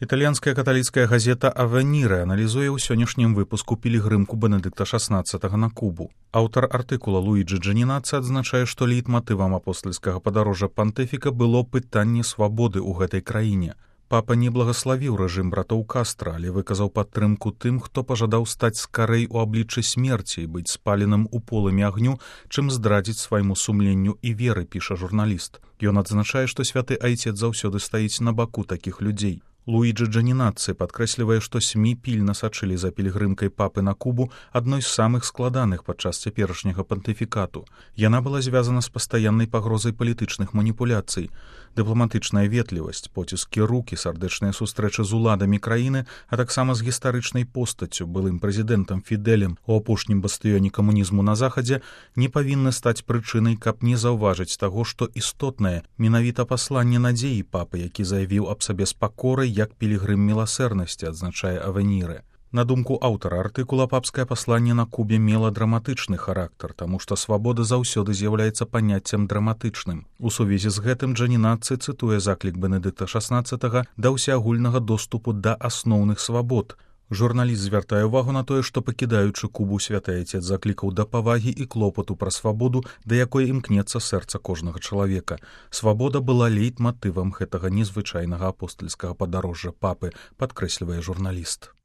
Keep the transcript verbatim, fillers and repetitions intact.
Італьянская каталіцкая газета «Авеніры» аналізуе ў сённяшнім выпуску пілігрымку Бенедыкта шаснаццатага на Кубу. Аўтар артыкула Луіджі Джанінацы адзначае, што лейтматывам апостальскага падарожжа пантыфіка было пытанне свабоды ў гэтай краіне. Папа не благаславіў рэжым братоў Кастра, але выказаў падтрымку тым, хто пажадаў стаць скарэй у абліччы смерці і быць спаленым у полымі агню, чым здрадзіць свайму сумленню і веры, піша журналіст. Ён адзначае, што святы айцец заўсёды стаіць на баку такіх людзей. Луіджі Джанінацы падкрэслівае, што СМІ пільна сачылі за пілігрымкай папы на Кубу, адной з самых складаных падчас цяперашняга пантыфікату. Яна была звязана з пастаяннай пагрозай палітычных маніпуляцый. Дыпламатычная ветлівасць, поціскі рукі, сардэчныя сустрэчы з уладамі краіны, а таксама з гістарычнай постаццю, былым прэзідэнтам Фідэлем у апошнім бастыёне камунізму на захадзе, не павінны стаць прычынай, каб не заўважыць таго, што істотнае менавіта пасланне надзеі папы, які заявіў аб сабе з пакорай як пілігрым міласэрнасці, адзначае «Авеніры». На думку аўтара артыкула, папскае пасланне на Кубе мела драматычны характар, таму што свабода заўсёды з'яўляецца паняццем драматычным. У сувязі з гэтым Джанінацы цытуе заклік Бенедыкта шаснаццатага да ўсеагульнага доступу да асноўных свабод. Журналіст звяртае ўвагу на тое, што, пакідаючы Кубу, святы айцец заклікаў да павагі і клопату пра свабоду, да якой імкнецца сэрца кожнага чалавека. Свабода была лейтматывам гэтага незвычайнага апостальскага падарожжа папы, падкрэслівае журналіст.